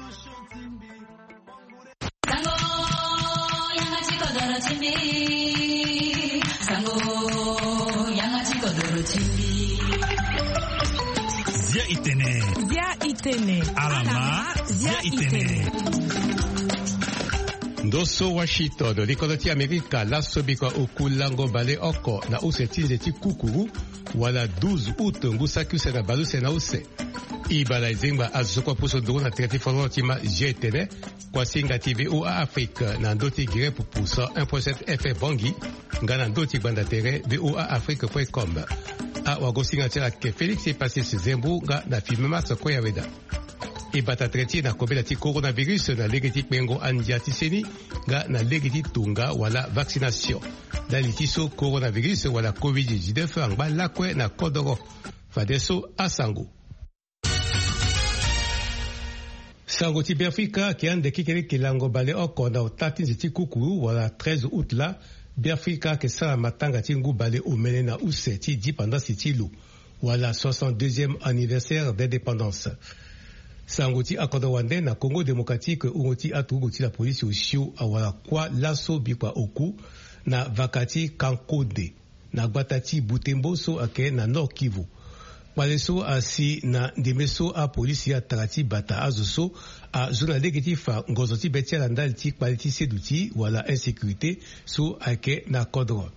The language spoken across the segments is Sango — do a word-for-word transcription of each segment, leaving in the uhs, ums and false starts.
Sango, yanga ti kodoro ti mbi. Sango, yanga ti kodoro ti mbi. Zia itene. Zia itene. Alama, zia itene. Ndo so Washington, likolo ti Amerika, laso bikua oku lango baleoko na use ti nze ti kukuru, wala douze août, ngu saki use na baleuse na use. Ibala ezengba azo so kue apusu nduru na tere ti fololo ti ma G T N, kuasinga ti V O A Afrique na ndö ti Guinée pupu cent un point sept F M Bangui, nga na ndö ti gbanda tere V O A Afrique point com. Awagosinga ti ala ayeke Félix Epasis Zembu nga na Filme Max Koyaweda. E bata tere ti e na kobela ti coronavirus na lege ti kpengo andia ti seni nga na lege ti tonga wala vaccination. Ndali ti so coronavirus wala covid dix-neuf angba lakue na kodoro. Fadeso asango. Sango ti Beafrika ayeke ande kekereke lango baleoko na ota ti nze ti kuku wala treize août laa. Beafrika ayeke sara matanga ti ngu baleomene na use ti dipandasi ti lo, wala soixante-deuxième anniversaire d'indépendance. Sango ti akodro wande na Congo démocratique, hungo ti aturugu ti lapolisi osio awara kuâ laso bikua oku na vaka ti Kankonde, na gbata ti Butembo so ayeke na Nord Kivu. Kpale so asi na ndembe so apolisi atara ti bata azo so azo na lege ti fa ngozo ti be ti ala ndali ti kpale ti seduti wala insécurité so ayeke na kodro.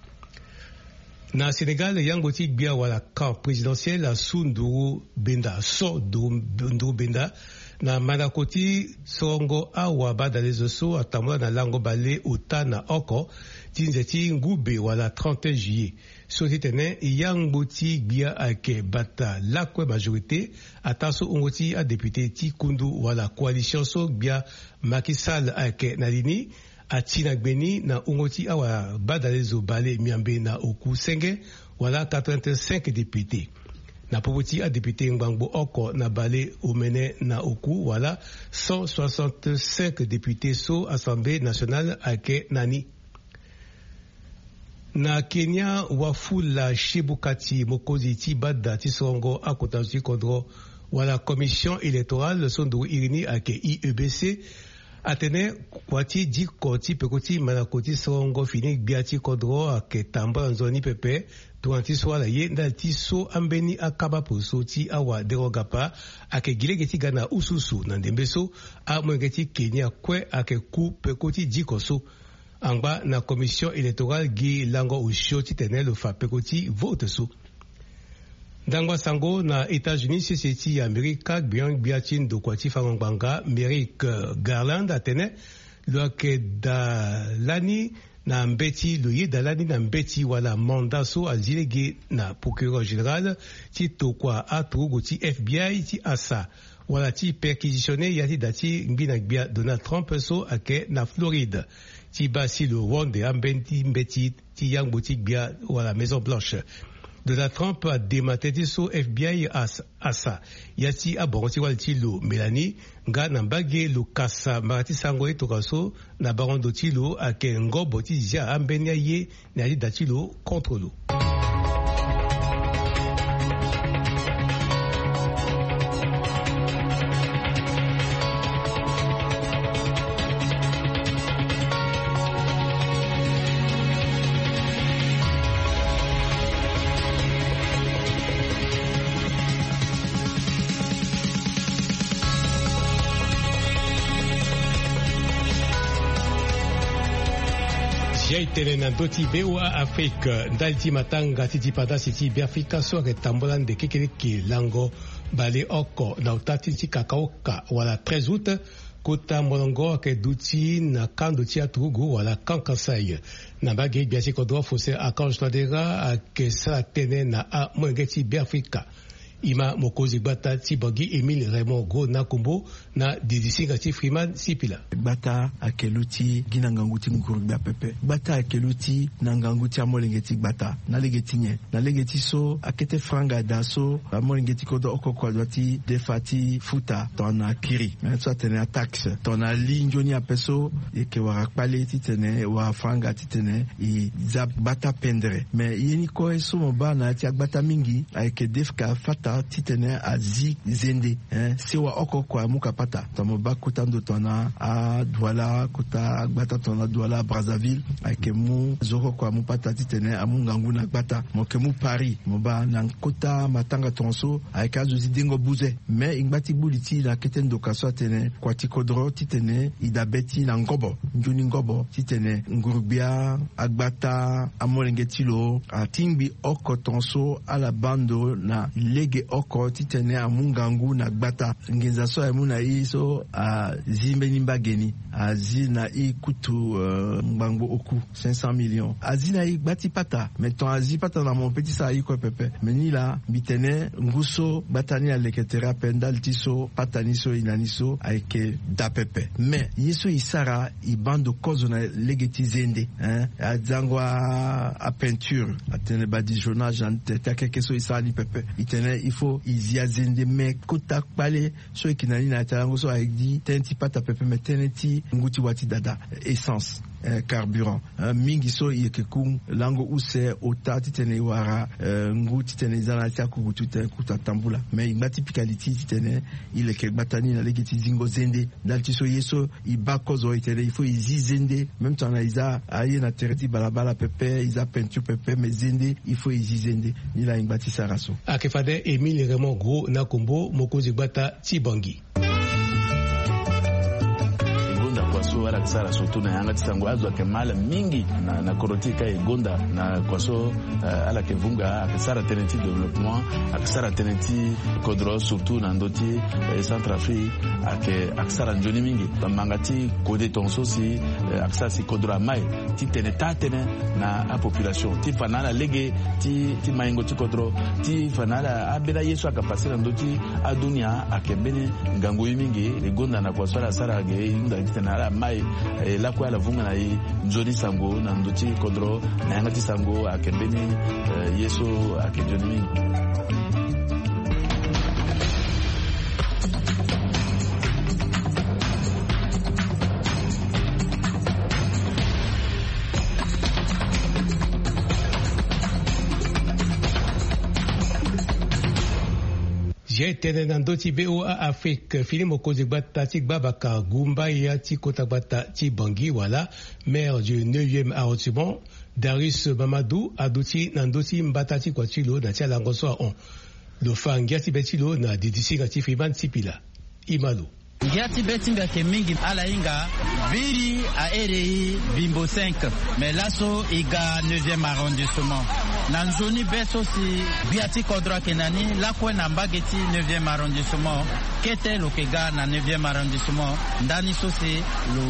Na Sénégal, yangbo ti gbia wala camp présidentiel asu nduru benda, so nduru, nduru benda na mandako ti sorongo awabadalezo so atambula na lango baleota na oko ti nze ti ngu be wala trente et un juillet. So titene yangbo ti gbia ayeke bata lakue majorité, ataa so hungo ti adéputé ti kundu wala coalition so gbia Macky Sall ayeke na li ni, ati na gbe ni na hungo ti awabadalezo bale miambe na oku senge, wala quatre-vingt-cinq députés. Na popo ti adéputé ngbangbo oko na baleomene na oku, wala cent soixante-cinq députés so Assemblée nationale ayeke na ni. Na Kenya, Wafula Chebukati, mokonzi ti bada ti sorongo akota zo ti kodro, wala commission électorale so nduru iri ni ayeke I E B C, atene kua ti diko ti peko ti mandako ti sorongo fini gbia ti kodro ayeke tambula nzoni pepe, tongana ti so ala ye ndali ti so ambeni akaba poso ti awa dérogapa ayeke gi lege ti ga na ususu na ndembe so amolenge ti Kenya kue ayeke ku peko ti diko so. Angba na commission électorale gi lango osio titene lo fa peko ti vote so. Ndangba sango na États-Unis, sese ti Amerika, gbion-gbia ti ndokua ti fango ngbanga Merrick Garland atene lo yeke da lani na mbeti, lo yeda lani na mbeti wala mandat so azi lege na procureur général ti tokua aturugu ti F B I ti asa wala ti perquisitionner ya ti da ti ngbi na gbia Donald Trump so ayeke na Floride. Ti baa si lo wonde ambeni ti mbeti ti yangbo ti gbia wala Maison Blanche. Donald Trump adema tënë ti so F B I as-, asa ya ti abongo ti wali ti lo Mélanie, nga na mbage lo kasa mbara ti sango ye tongana so na bango ndo ti lo ayeke ngobo ti zia ambeni aye na ya ti da ti lo contre lo. Zia e tene na ndö ti V O A Afrique, ndali ti matanga ti dipandasi ti Beafrika so ayeke tambula ande kekereke lango baleoko na ota ti, ti kakaoka wala treize août. Kota molongo ayeke duti na kando ti aturugu wala Camp Kasaï. Na mbage gbia ti kodro Faustin Archange Touadéra ayeke sara tënë na amolenge ti Beafrika. E ma mokonzi gbata ti Bangui Émile Raymond Gros Nakombo na didisinga ti Freeman Sipila. Gbata ayeke luti gi na ngangu ti nguru gbia pepe. Gbata ayeke luti na ngangu ti amolenge ti gbata. Na lege ti nyen? Na lege ti so akete franga adaa so amolenge ti kodro oko oko adua ti defa ti futa tongana kiri, me so atene ataxe tongana li nzoni ape so e yeke wara kpale titene e wara franga titene e za gbata pendere. Me ye ni kue so mo baa na ya ti agbata mingi ayeke defka fata titene azi zende. Sewa oko oko amu ka pata tongana mo baa kota ndo tongana aDouala, kota agbata tongana Douala, Brazzaville, ayeke mu zo oko oko amu pata titene amu ngangu na gbata. Mo yeke mu Paris, mo baa na kota matanga tongaso ayeke azo zi dengo buze. Me e ngba ti gbu li ti e na kete ndoka so atene kua ti kodro titene e dabe ti na ngobo, nzoni ngobo titene nguru-gbia, agbata, amolenge ti lo atingbi oko tongaso ala baa ndo na lege oko titene amu ngangu na gbata. Nginza so aye mu na e so azi mbeni mbage ni, azi na e kutu ngbangbo oku cinq cents millions. Azi na e gba ti pata, me tongana azi pata na mo pe ti sara ye kue pepe. Me nilaa mbi tene ngu so gbata ni aleke tere ape ndali ti so pata ni so e na ni so ayeke daa pepe. Me ye so e sara, e baa ndo kozo na lege ti zende. Hein, azango a, a peinture, atene badijonage, ante ti akeke so e sara ni pepe. E tene il faut e zi azende, me kota kpale so e yeke na ni na ya ti alango so aye gi tënë ti pata pepe, me tënë ti ngu ti wa ti dada, essence, eh, carburant, eh, mingi so e yeke ku lango use ota titene e wara, eh, ngu titene e za na ya ti akuku titene kutu atambula. Me e ngba ti pika li ti e titene e leke gbata ni na lege ti zingo zende. Ndali ti so ye so e baa kozo, e tene il faut e zi zende. Même tongana e za aye na tere ti balabala pepe, e za peinture pepe, me zende, il faut e zi zende. Ni laa e ngba ti sara so. Ayeke fade Émile Raymond Gros na Kombo, mokonzi gbata ti Bangui. E gonda kua so ala yeke sara surtout na yanga ti sango, azo ayeke ma ala mingi na, na kodro ti e ka e gonda na kua so, eh, ala yeke vunga, ayeke sara tënë ti développement, ayeke sara tënë ti kodro surtout na ndö ti, eh, Centrafrique, ayeke, ayeke sara nzoni mingi. Manga ti kode tongaso si, eh, ayeke sara si kodro amai titene taa tënë na apopulation ti fa na ala lege ti, ti maingo ti kodro, ti fa na ala ambeni aye so ayeke pase na ndö ti adunia, ayeke mbeni ngangu ye mingi. E gonda na kua so ala sara ge, e hunda titene ala mai, eh, lakue ala vunga na e nzoni sango na ndö ti kodro. Na yanga ti sango ayeke mbeni, eh, ye so ayeke nzoni mingi. Ge tene na ndö ti VOA Afrique, fini mokonzi gbata ti gbabaka gumbaya ti kota gbata ti Bangui wala maire du neuvième arrondissement, Darius Mamadou, aduti na ndö ti mbata ti kua ti lo na ti alango so ahon. Lo fa ngia ti be ti lo na didisinga ti Freeman Sipila. E ma lo. Ngia ti be ti mbi ayeke mingi. Ala hinga biri ahere e Bimbo cinq, me laso e ga neuvième arrondissement. Na nzoni be so si gbia ti kodro ayeke na ni lakue na mbage ti neuvième arrondissement, kete lo yeke ga na neuvième arrondissement ndani so si lo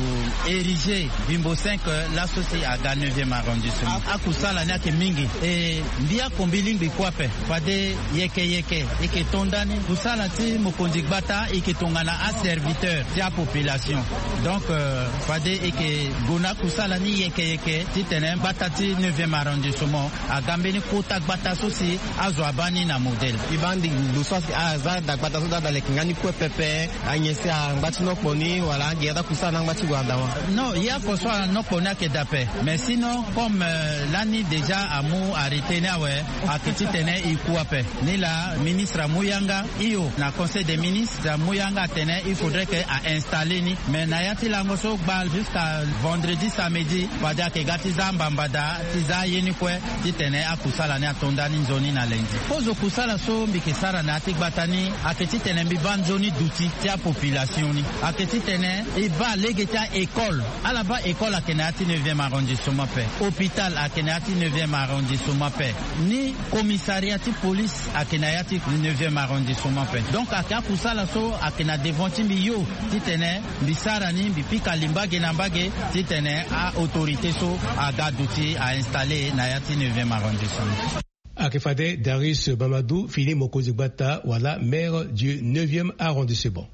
érigé Bimbo cinq, laso si aga neuvième arrondissement. Akusala ni ayeke mingi. E mbi akombi lingbi kue ape. Fade yeke yeke e yeke to ndani. Kusala ti mokonzi gbata e yeke tongana aserviteur ti apopulation. Donc, euh, fade e yeke gue na akusala ni yeke yeke titene gbata ti neuvième arrondissement aga mbeni kota gbata so si azo abaa ni na modèle. E baa ndo so asi aza da gbata so da da leke nga ni kue pepe. Anyen si angba ti nokpo ni wala angia ti akusala ni angba ti gue anda wa? Non, ye oko so anokpo ni ayeke daa ape. Mais sinon, comme, euh, lani déjà amu arrêté ni awe, ayeke titene e ku ape. Ni laa ministre amu yanga, hio, na conseil des ministres amu yanga atene il faudrait que a installer ni. Mais na ya ti lango so gba jusqu'à vendredi, samedi, fade ayeke ga ti za mbamba daa, ti za ye ni kue, titene akusala ni ato ndani nzoni na lundi. Kozo kusala so mbi yeke sara na ya ti gbata ni ayeke titene mbi baa nzoni duti ti apopulation ni. Ayeke titene e baa lege ti a-école. Ala baa école ayeke na ya ti neuvième arrondissement ape. Hôpital ayeke na ya ti neuvième arrondissement ape. Ni commissariat ti police ayeke na ya ti neuvième arrondissement ape. Donc ayeke akusala so ayeke na devant ti mbi hio, titene mbi sara ni, mbi pika li mbage na mbage, titene a-autorité so aga duti a-installer na ya ti neuvième arrondissement. Ayeke fade Darius Mamadou, fini mokonzi gbata wala maire du neuvième arrondissement.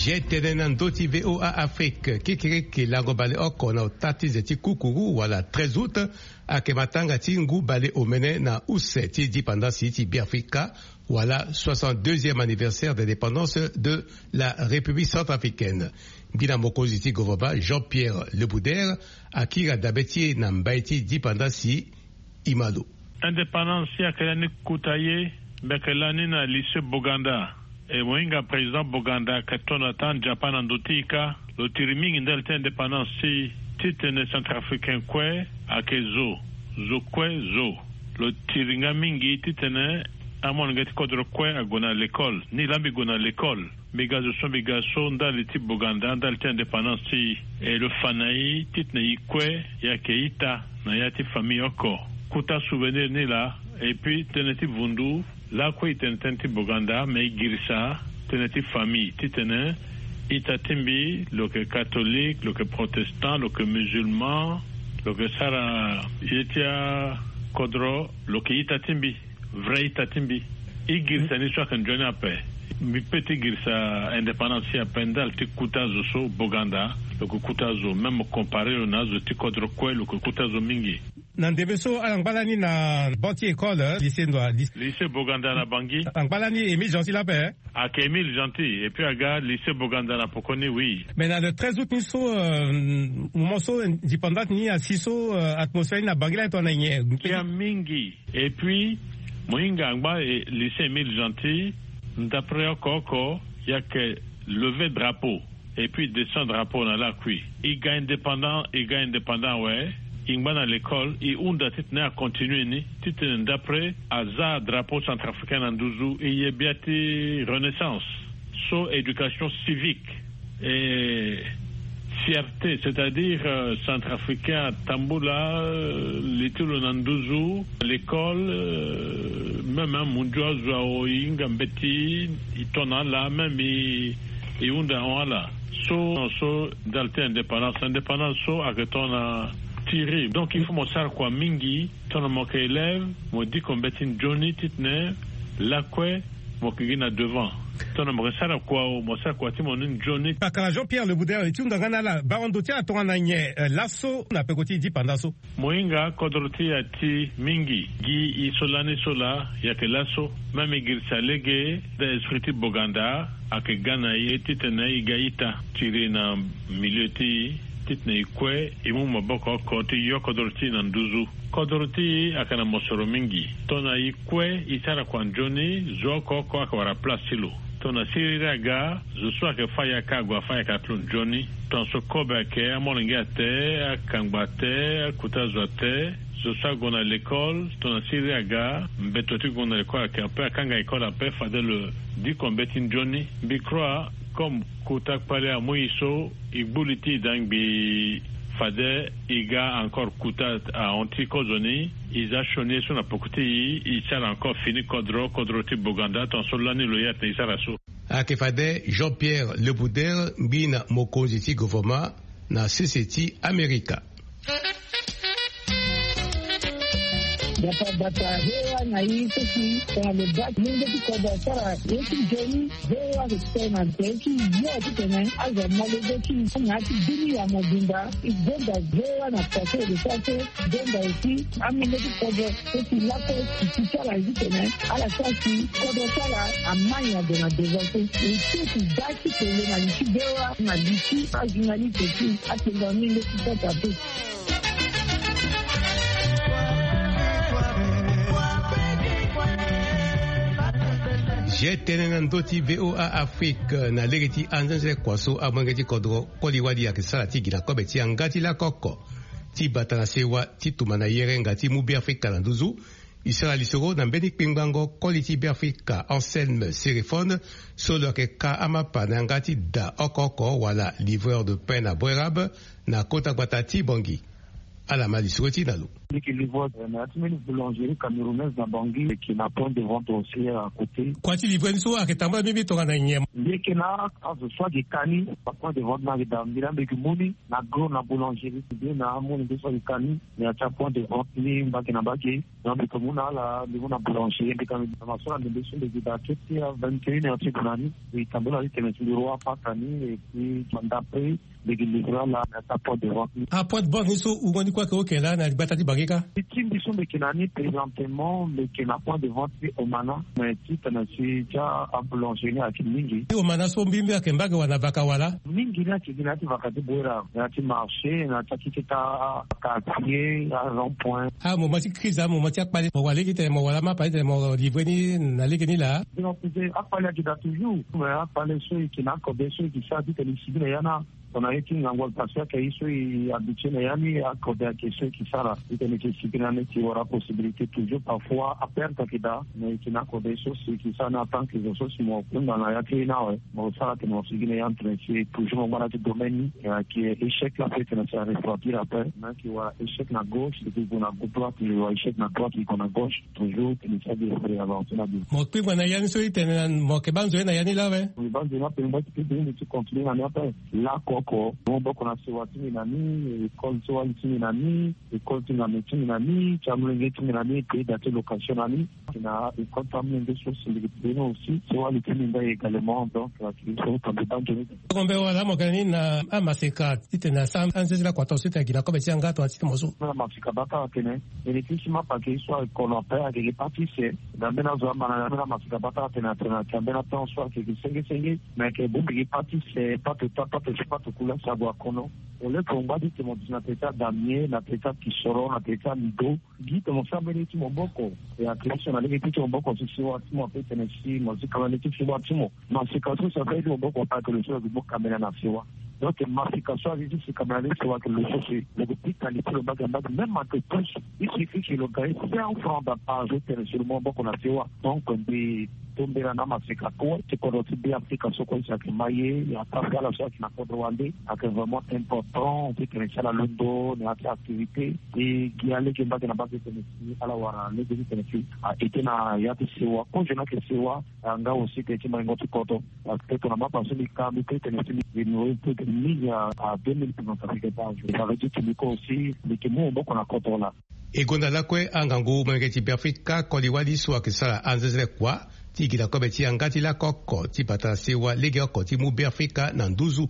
Ye tene na ndö ti VOA Afrique, kekereke lango baleoko na ota ti ze ti kukuru wala treize août, ayeke matanga ti ngu baleomene na use ti dipandasi ti Biafrika, wala soixante-deuxième anniversaire d'indépendance de la République centrafricaine. Mbi na mokonzi ti govorba Jean-Pierre Lebouder akiri na dabe ti e na mbai ti dipandasi. Imalo. Indépendance si ayeke lani kuta ye, mbi yeke lani na lycée Boganda. E mo hinga président Boganda ayeke to na taa Nzapa na ndo ti e kâ. Lo tiri mingi ndali ti indépendance ti, titene centrafricain kue ayeke zo, zo kue zo. Lo tiri nga mingi titene amolenge ti kodro kue ague na l'école. Ni laa mbi gue na l'école. Mbi ga zo so mbi ga so ndali ti Boganda, ndali ti indépendance ti e. E lo fa na e titene e kue e yeke ita na ya ti famille oko. Kuta souvenir ni laa. Et puis tënë ti vundu, lakue e tene tënë ti Boganda, mais e girisa tënë ti famille titene ita ti mbi, lo yeke catholique, lo yeke protestant, lo yeke musulman, lo yeke sara ye ti akodro, lo yeke ita ti mbi, vrai ita ti mbi. E girisa ni so ayeke nzoni ape. Mbi peut ti girisa indépendance ti e ape ndali ti kuta zo so Boganda, lo yeke kuta zo, même mo compare lo na azo ti kodro kue, lo yeke kuta zo mingi. Na ndembe so ala ngba lani na banc ti école, lycée ndo a lycée Boganda na Bangui. Angba lani Émile Gentil la pe. Ayeke Émile Gentil, et puis aga lycée Boganda na poko ni, oui. Mais na le treize août ni so, euh, moment so indépendance ni asi so, euh, atmosphère ni na Bangui la e tongana nyen? Kia mingi. Et puis mo hinga angba, eh, lycée Émile Gentil, ndapre oko oko, ayeke lever drapeau. Et puis descend drapeau na lakui. E ga indépendant, e ga indépendant, ouais. E ngba na l'école, e hunda titene acontinue ni, titene ndapre aza drapeau centrafricain na nduzu, e ye bia ti renaissance. So éducation civique et fierté, c'est-à-dire, euh, centrafricain atambula, euh, li ti lo na nduzu, l'école, euh, même, hein, mundu azo awe e hinga mbeti, e to na ala, même e, e hunda ahon ala. So, so ndali ti indépendance, indépendance so ayeke tongana terrible. Donc il faut mo sara kua mingi, tongana mo yeke élève, mo diko mbeti nzoni titene lakue mo yeke gi na devant. Tongana mo yeke sara kua o, mo sara kua ti mo ni nzoni. Pakara Jean-Pierre Le Boudère, e ti hunda nga na ala, baa ndo ti ala tongana nyen, eh, laso na peko ti dipanda so? Mo hinga kodro ti e ati mingi. Gi e so lani so laa, e yeke laso. Même e girisa lege, da esprit ti Boganda ayeke ga na e titene e ga ita. Tiri na milieu ti e titene e kue e mu maboko oko ti yo kodro ti e na nduzu. Kodro ti e ayeke na mosoro mingi. Tongana e kue e sara kua nzoni, zo oko oko ayeke wara place ti lo. Tongana siriri aga, zo so ayeke fâ yaka ague afâ yaka ti lo nzoni. Tongana so kobe ayeke, amolenge ate, akangba ate, akuta zo ate, zo so ague na l'école, tongana siriri aga, mbeto ti gue na l'école ayeke ape, akanga école ape, fade lo diko mbeti nzoni. Mbi crois, comme kota kpale amu e so, e gbu li ti e daa ngbii, fade e ga encore kota ahon ti kozoni, e za sioni ye so na poko ti e, e sara encore fini kodro, kodro ti Boganda, tongana so lani lo ye atene e sara so. Ayeke fade Jean-Pierre Le Boudère, ngbii na mokonzi ti gouvernement na sese ti Amerika. Bata bata, V O A na e so si tongana lo baa molenge ti kodro asara ye ti nzoni, V O A ayeke sara na tere ti yo titene azo amolenge ti e na ya ti bini ya mobimba. E gonda V O A na pase e lo sara so, e gonda aussi amolenge ti kodro so si lakue e si ti ala titene ala sara si kodro ti ala amai ade na devant so. E so si baa ti tene na li ti V O A na li ti ajournaliste ti atengo amolenge ti kodro ape. Zia tënë na ndö ti V O A Afrique na lege ti anzenze kua so amolenge ti kodro koli wali ayeke sara ti gi na kobe ti yanga ti lakoko. Ti bata na sewa ti tumba na yerenga ti mu Beafrika na nduzu, e sara lisoro na mbeni kpengbango koli ti Beafrika Anselme Sérifone, so lo yeke ka amapa na yanga ti da oko oko wala livreur de pain na Boerab, na kota gbata ti Bangui. Ala ma lisoro ti na lo. Mbi yeke livre na ya ti mbeni boulangerie camerounaise na Bangui, mbi yeke na point de vente aussi à côté. Kua ti livre ni so ayeke tambula mbeni tongana nyen? Mbi yeke na azo so ayeke ka ni, apoint de vente ni ayeke daa. Mbi laa mbi yeke mu ni na gros na boulangerie, mbi na amolenge so ayeke ka ni, mbi yeke ti apoint de vente ni mbage na mbage. Donc mbi yeke mu na ala, mbi mu na boulangerie, mbi ka mbi na masara ndembe so mbi yeke daa kete a vingt et une heures ti gue na ni. Mbi tambula ti tene si mbi roi apata ni et puis ndape. Mbi yeke livre ala na ya ti apoint de vente ni. Apoint de vente ni so wungo ni kue ayeke oke laa na gbata ti Bangui kâ? Ti mbi so mbi yeke na ni présentement, mbi yeke na point de vente ti Omana, mais ti tene si ti aboulangerie ni ayeke mingi. Ti Omana so mbi mbi ayeke mbage wala vaka wala? Mingi ni ayeke gi na ya ti vaka ti Bouera, na ya ti marché, na ya ti akete ti quartier, arond point. Amoment ti crise, amoment ti akpale, mo wara lege ti tene mo wara mapa ti tene mo livre ni na lege ni laa? Akpale ayeke daa toujours, mais akpale so e yeke na akode so e yeke sara ti tene e sigi na ya ni. Tongana ye ti ngangu agbasa ayeke ye so e habitué na ya ni, akode ayeke so e yeke sara. E tene e yeke sigi na ni, e yeke wara possibilité toujours, parfois aperte ayeke daa, mais e yeke na akode so si e yeke sara ni en tant que zo so si mo kunda na ya ti ye ni awe, mo sara atene mo sigi na ya ni tene si toujours mo ngba na ya ti domaine ni. E yeke échec la, ape e tene si a refroidir ape, mais e yeke wara échec na gauche, e yeke gue na droite, e yeke wara échec na droite, e yeke gue na gauche. Toujours tene ti adesere avancer na bi. Mo kpingba na ya ni so ti tene na mo yeke baa nzoni na ya ni laa awe? Mbi baa nzoni ape, mbi baa ti kpingba, mbi ti continuer na ni ape. Laoko oko, mu maboko na sewa ti mbi na ni, école ti wali ti mbi na ni, école ti ngame ti mbi na ni, ti amolenge ti mbi na ni, mbi yeke da ti location na ni. Na école ti amolenge so si mbi yeke payé ni aussi, ti wali ti mbi ndai également. Donc il faut que mbi baa nzoni. Tongana mbi wara mo yeke na ni na amaseka ti tene asara anzenze lakua tongaso ti tene gi na kobe ti yanga tongana ti mo so. Mbeni amaseka bata atene, bénéfice ti mapa ayeke ye so ayeke kono ape, ayeke gi pâtisserie. Na mbeni azo ama na mbeni amaseka bata atene, atene ayeke na mbeni atension so ayeke gi senge senge. Me ayeke bongbi gi pâtisserie, pâte ta, pâte so, pâte couleur si ague akono. Au lieu que mo ngba ti tene mo duti na pele ti adamier, na pele ti akisoro, na pele ti ando, gi tene mo sara mbeni ye ti maboko. E ayeke ye so na lege ti maboko si sewa ti mo ape tene si mo zika na lege ti sewa ti mo. Maseka so si ape ti maboko ape ayeke lo so lo yeke mu kamera na sewa. Donc maseka so azi ti si kamera ni sewa ayeke lo so si lo yeke pika li ti lo mbage na mbage, même ayeke plus. Il suffit que lo gagne cent francs d'argent tene si lo mu maboko na sewa. Donc mbi tombela na amaseka kue ti kodro ti Beafrika so kue si ayeke ma ye, ya ta ti ala so ayeke na kodro wande, ayeke vraiment important ti tene si ala londo na ya ti activité. E gi alege mbage na mbage tene si ala wara lege ti tene si a ete na ya ti sewa. Kozo ni ayeke sewa. Nga aussi tene ti maingo ti kodro. Parce que tongana mapa so mbi ka, mbi peut tene si mbi, mbi peut tene mille à deux mille francs, ça fait que par jour. Ça veut dire que mbi ko aussi mbi yeke mu maboko na kodro laa. E gonda lakue angangu molenge ti Beafrika koli wali so ayeke sara anzenze kua ti gi na kobe ti yanga ti laoko oko ti bata sewa legeoko ti mu Beafrika na nduzu.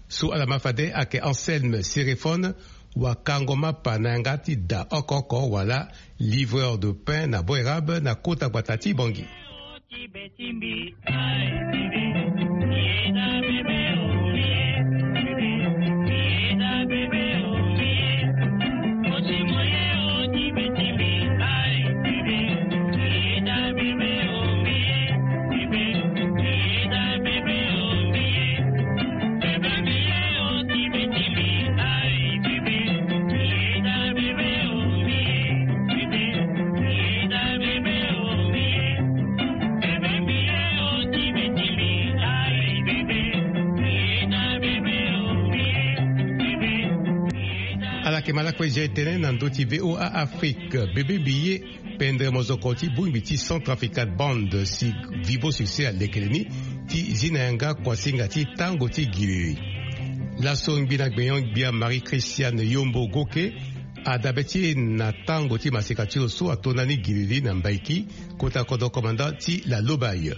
So ala ma fade ayeke Anselme Sérifone, wakango mapa na yanga ti da oko oko wala livreur de pain na Boerab na kota gbata ti Bangui. Ala yeke ma lakue zia e tene na ndö ti V O A Afrique. Bebe mbi ye pendere mozoko ti bongbi ti Centrafrican Band si Vibo Succès alekere ni ti zi na yanga kuasinga ti tango ti giriri. Laso ngbi na gbenyo-gbia Marie Christiane Yombo Goke adabe ti e na tango ti maseka ti lo so ato ndani giriri na Mbaiki, kota kodro commandant ti la Lobaye.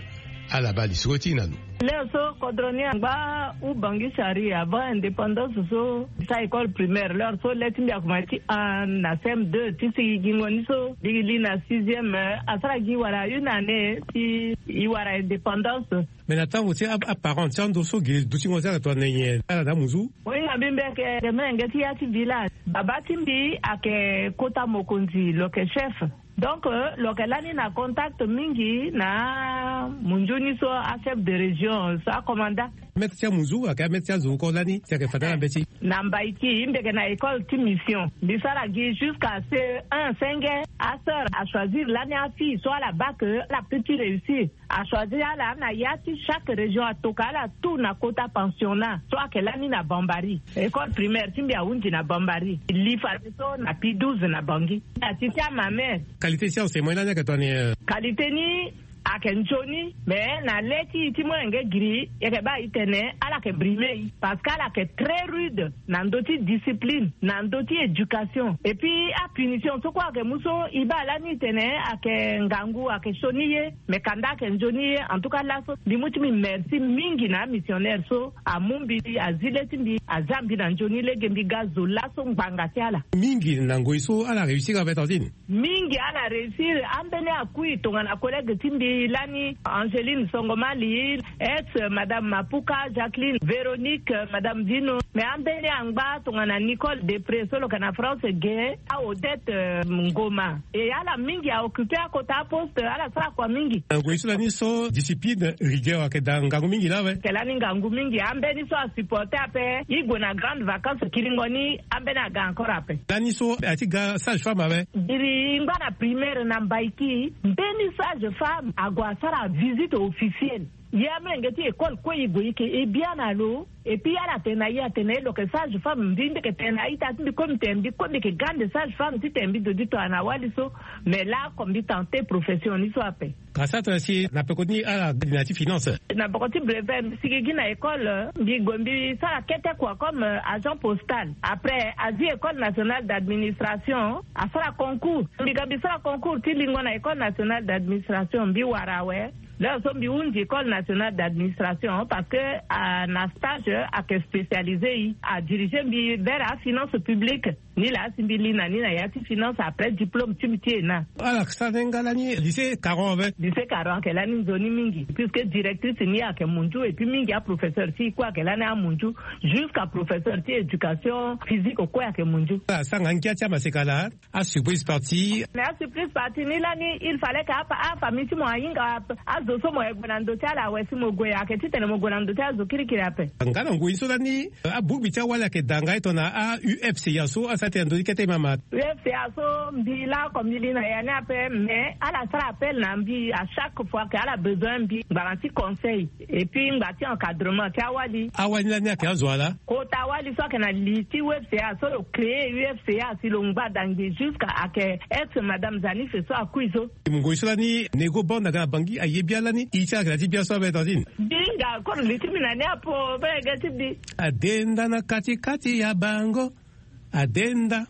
Ala baa lisoro ti e na lo. Leo so kodro ni angba u Bangui Sari avant indépendance so, sa école primaire. Leo so le ti mbi akomanse ti un na C M deux ti sigi gingo ni so mbi li na sixième, asara gi wala une année ti i wara indépendance. Mais na tango ti a, aparent ti ando so gi dutingo ti ala tongana nyen, ala na amuzu? Mohinga mbi mbi ayeke demenge ti ya ti village. Babâ ti mbi ayeke kota mokonzi, lo yeke chef. Donc lo yeke lani na contact mingi na munzu ni so achef de région so acommanda. Mètre ti amunzu ayeke amètre ti azo oko lani si ayeke fade ala mbeti. Na mbaiki mbi yeke na école ti mission mbi sara gi jusqu'à c un senge. Aseur achoisir lani afille so ala bake ala petit réussir. Achoisir ala na ya ti chaque région atoka ala tout na kota pensionnat so ayeke lani na bambari. École primaire ti mbi ahunzi na bambari li fade so na pi douze na bangi. Na ti ti amame. Qualité ti enseignement ni lani ayeke tongani? Qualité ni ayeke nzoni. Mais na le ti i ti molenge giri i yeke baa i tene ala yeke brime i parce que ala yeke très rude na ndö ti discipline na ndö ti éducation. Et puis apunition so kue ayeke mu so i baa lani i tene ayeke ngangu ayeke sioni ye. Mais kanda ayeke nzoni ye en tout cas laso mbi mu ti mbi merci mingi na amissionnaire so amu mbi azi le ti mbi aza mbi na nzoni lege mbi ga zo laso ngbanga ti ala. Mingi na ngoi so ala réussir ape tantine. Mingi ala réussir. Ambeni akui tongana collègue ti mbi lani Angeline Songomali, ex madame Mapuka, Jacqueline, Véronique, madame Vino. Mais ambeni angba tongana Nicole Depré so lo yeke na France ge, a Odette Ngoma. E ala mingi aoccupe akota aposte ala sara kua mingi. Ngoi so lani so discipline rigueur ayeke daa ngangu mingi laa awe. Ayeke lani ngangu mingi ambeni so asupporte ape i gue na grande vacance kiringo ni. Ambeni aga encore ape. Lani so ati ga sage femme awe. Biri i ngba na primaire na mbaiki mbeni sage femme ague asara visite officielle. Ye amolenge ti école kue i gue i ke e bia na lo. Et puis ala tene na ye atene lo yeke sage femme mbi mbi yeke tene na a-ita ti mbi kue mbi tene mbi kue mbi yeke grande sage femme titene mbi zo ti tongana wali so. Mais lako mbi tente profession ni so ape. Ka sara tongana si na peko ni ala gi na ya ti finance. Na peko ti brevet mbi sigi gi na école mbi gue mbi sara kete kua comme agent postal. Après azi école nationale d'administration asara concours. Mbi ga mbi sara concours ti lingo na école nationale d'administration mbi wara awe. Leo so mbi hunzi école nationale d'administration parce que na stage ayeke spécialisé i adirige mbi vers afinance publique. Ni laa si mbi li na ni na ya ti finance après diplôme ti mbi ti ena. Ala sara ni nga lani lycée caron ape. Lycée caron ayeke lani nzoni mingi puisque directrice ni ayeke munzu et puis mingi aprofesseur ti i kue ayeke lani amunzu. Jusqu'à professeur ti éducation physique kue ayeke munzu. Ala sara nga ngia ti amaseka laa. Asurprise parti. Mais asurprise parti ni lani il fallait que afamille ti mo ahinga azo so mo ye gue na ndo ti ala awe si mo gue ayeke titene mo gue na ndo ti azo kirikiri ape. Nga na ngoi so lani abugbi ti awali ayeke daa nga e tongana a-ufca so asara tena ndo ti kete mama. Ufca so mbi lako mbi li na ya ni ape mais ala sara appel na mbi à chaque fois que ala besoin mbi ngbanga ti conseil. Et puis ngba ti encadrement ti awali. Awali ni lani ayeke azo ala. Kota awali so ayeke na li ti ufca so lo créer ufca si lo ngba dangi jusqu'à ayeke ex madame Zanife so akui so. Ngoi so lani nego bande aga na bangi aye bia lani i ti ala yeke na ti bia so abe tantine. Mbi hinga encore li ti mbi na ni apo be ge ti mbi. Adenda na katikati ya bango. Adenda.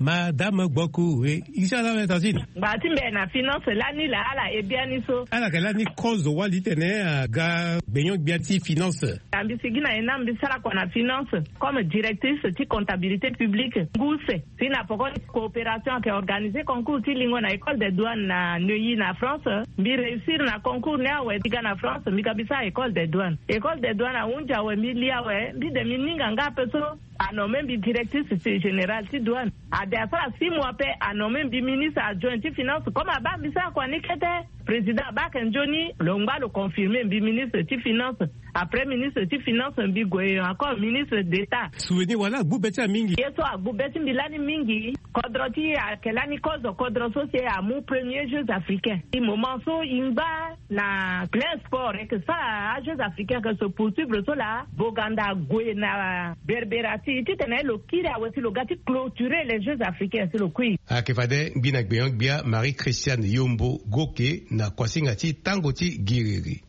Madame Gboku e i ti ala abe tantine. Ngba ti mbi na finance lani laa ala e biani so. Ala yeke lani kozo wali titene aga gbenyo-gbia ti finance. Na mbi sigi na ena mbi sara kua na finance comme directrice ti comptabilité publique ngu use. Si na poko ni coopération ayeke organiser concours ti lingo na école des douanes na Neuilly na France. Mbi réussir na concours ni awe mbi ga na France mbi ga mbi sara école des douanes. École des douanes ahunzi awe mbi li awe mbi de mbi ninga nga ape so. Anomme mbi directrice générale ti douane. Ade asara six mois pe anomme mbi ministre adjoint ti finance comme abaa mbi sara kua ni kete. Président abaa ayeke nzoni lo ngba lo confirmer mbi ministre ti finance. Après ministre ti finance mbi gue encore ministre d'état. Souvenir wala agbu be ti ala mingi. Ye so agbu be ti mbi lani mingi. Kodro ti e ayeke lani kozo kodro so si e amu premier jeux africain. I moment so i ngba na plein sport e yeke sara ajeux africain ayeke se poursuivre so laa. Boganda ague na berbera ti e titene lo kiri awe si lo ga ti clôturer les jeux africains si lo kui. Ayeke fade ngbi na gbenyo-gbia Marie Christiane Yombo Goke na kuasinga ti tango ti giriri.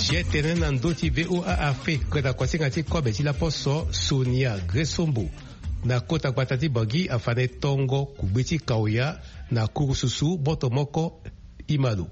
Ye tene na ndö ti VOA Afrique na kuasinga ti kobe ti laposo Sonia Gresombo. Na kota gbata ti Bangui afane tongo kugbe ti kaoya na kurususu boto moko. Imalo.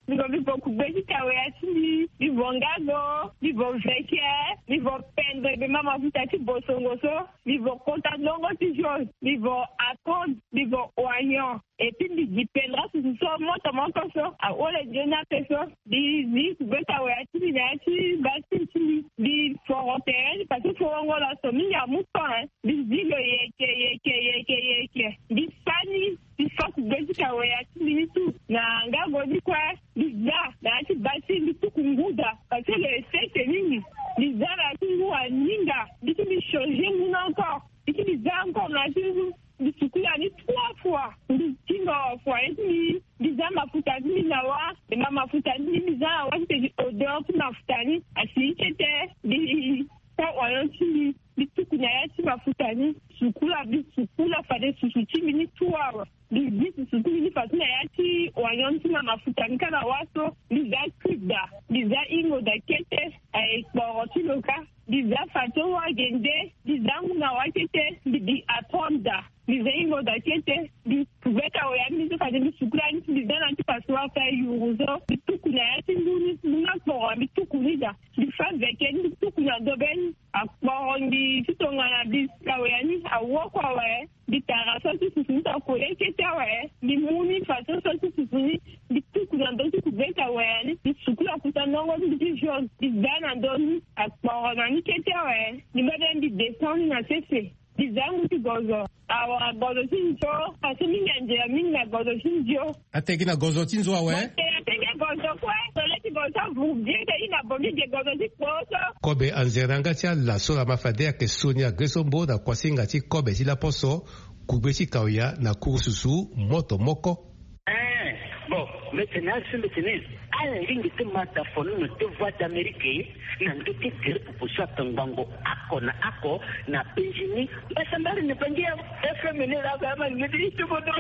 Mbi vo mbi vo kugbe ti kawe ya ti mbi. Mbi vo ngago. Mbi vo veke. Mbi vo pendre be ma mafuta ti bosongo so. Mbi vo kota ndongo ti jaune. Mbi vo atonde. Mbi vo oignon. Epui mbi gi pendra susu so moto moko so ahole nzoni ape so. Mbi zi kugbe kawe ya ti mbi na ya ti basine ti mbi. Mbi foro tere ni parce que forongo laso mingi amu temps. Mbi zi lo yeke yeke yeke yeke. Mbi sani. Mbi fa kugbe ti kawe ya ti mbi ni tu na ngago ni kue. Mbi za na ya ti basine mbi tuku ngu daa parce que lo ese ete mingi. Mbi za na ya ti ngu aninga. Mbi ti mbi changer ngu ni encore. Mbi ti mbi za encore na ya ti ngu. Mbi sukula ni trois fois. Mbi tingo foyer ti mbi. Mbi za mafuta ti mbi na wa. E ma mafuta ti mbi mbi za na wa ti teti odeur ti mafuta ni asi kete. Mbi sa oignon ti mbi. Mbi tuku na ya ti mafuta ni. Sukula mbi sukula fade susu ti mbi ni trois. Mbi gi susu ti mbi ni faso na ya ti oignon ti ma mafuta ni kâ na wa so. Mbi za cube daa. Mbi za hingo daa kete. Aye kporo ti lo kâ. Mbi za fato wa gende. Mbi za ngu na wa kete. Mbi gi atonde daa. Mbi za hingo daa kete. Mbi kugbe kawe ya mbi so fade mbi sukula ni ti mbi za na ti faso wa fa yuru so. Mbi tuku na ya ti ngu ni ngu na kporo mbi tuku ni daa. Mbi fa veke ni mbi tuku na ndo be ni. Akporo mbi ti tongana mbi kawe ya ni awoko awe. Mbi tara so ti susu ni so akole kete awe. Mbi mu ni faso so ti susu ni. Mbi tuku na ndo ti kugbe kawe ya ni mbi sukula kusa ndongo ti mbi ti jaune mbi za na ndo ni. Akporo na ni kete awe. Mbi mbebe mbi descend ni na sese. Mbi za ngu ti gozo. Awa gozo ti nzo. Faso mingi anzera mingi na gozo ti nzo. Ategi na gozo ti nzo awe. Ategi gozo kue. Tole ti gozo avuru bien te i na bongi ge gozo ti kpo so. Kobe anzere na yanga ti ala so lama fade ayeke sioni agresombo na kuasinga ti kobe ti laposo. Kugbe ti kawe ya na kurususu moto moko. Eh, bon, mbeti ni asi mbeti ni. Ala lingbi ti ma ta fonono ti Voix d'Amérique na ndö ti gere pupu so atongbango oko na oko na penzi ni. Mbasambari ni bangi ya F M ni la ga ma ngedi itubodo.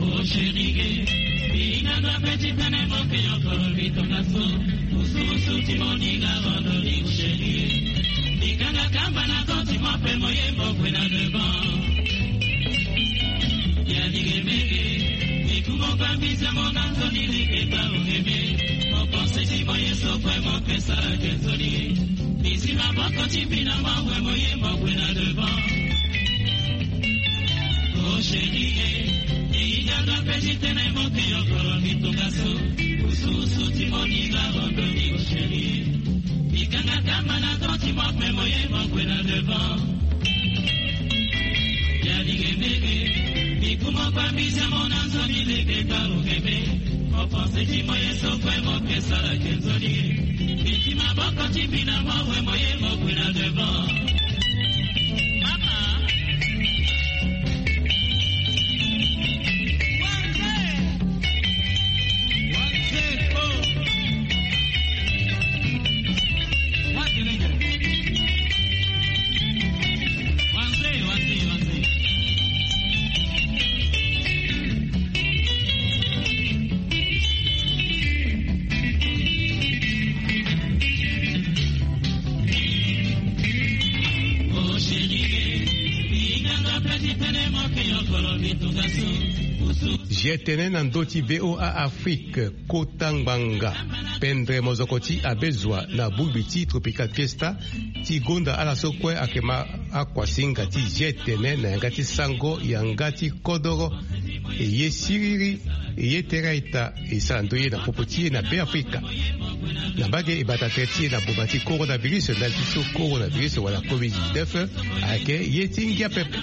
Oh chérie, bina nga petit tene moke yo kolo bitonga so. Ususu ti moninga rondo ni chérie. Bikanga kamba na koti mo pe moye mo kwe na devant. Ya digemege, ikumo bambisa mo na nzoni leke ba ongeme. Mo pense ti moye so kwe mo pesa ke nzoni. Bisi maboko ti bina mo we moye mo kwe na devant. Oh chérie, eh, iga nga pe ti tene mo ke yo kolo mi tonga so. Ususu ti moninga rondo ni oh chérie. Bikanga kamba na koti mo pe moye mo kwe na devant. Ya digemege, bikumo bambisa mo na nzoni leke ba ongeme. Mo pense ti moye so kwe mo pesa ke nzoni. Bisi maboko ti bina mo we moye mo kwe na devant. Mama. G T N na ndö ti V O A Afrique, kota ngbanga. Pendre mozoko ti abezwa na bongbi ti Tropical Fiesta ti gonda ala so kue ayeke ma akuasinga ti G T N na yanga ti sango yanga ti kodoro. E ye siriri, e ye tere aita, e sara ndoye na popo ti e na Beafrika. Na mbage e bata tere ti e na boma ti coronavirus, ndali ti so coronavirus wala covid dix-neuf ayeke ye ti ngia pepe.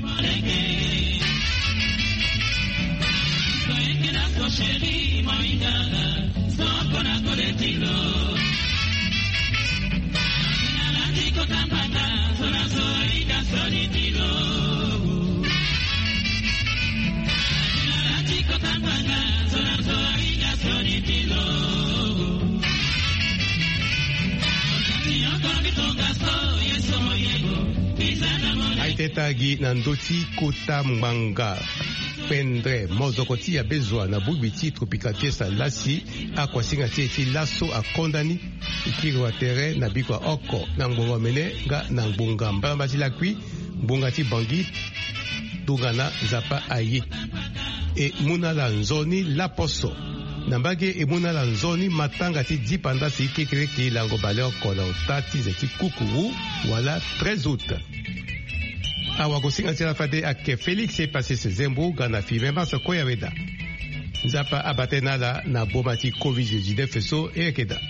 Aye tene ti gi na ndö ti kota ngbanga. Pendre mozoko ti ya bezwa na bugbi ti tropical fiesta lasi. Akuasinga ti e ti laso akonda ni. Kiri wa tere na biko ya oko na ngbonga mene nga na ngbonga mbalamba ti lakui, ngbonga ti bangi. Tongana nzapa aye, e mu na ala nzoni laposo. Na mbage e mu na ala nzoni matanga ti dipanda si kekereke lango baleoko na ota ti nze ti kukuru, wala treize août. Awakosinga ti ala fade ake Félix e pase se zembo ga na fimbe masa koya weda. Nzapa abate na ala na boma ti covid dix-neuf so e yeke daa.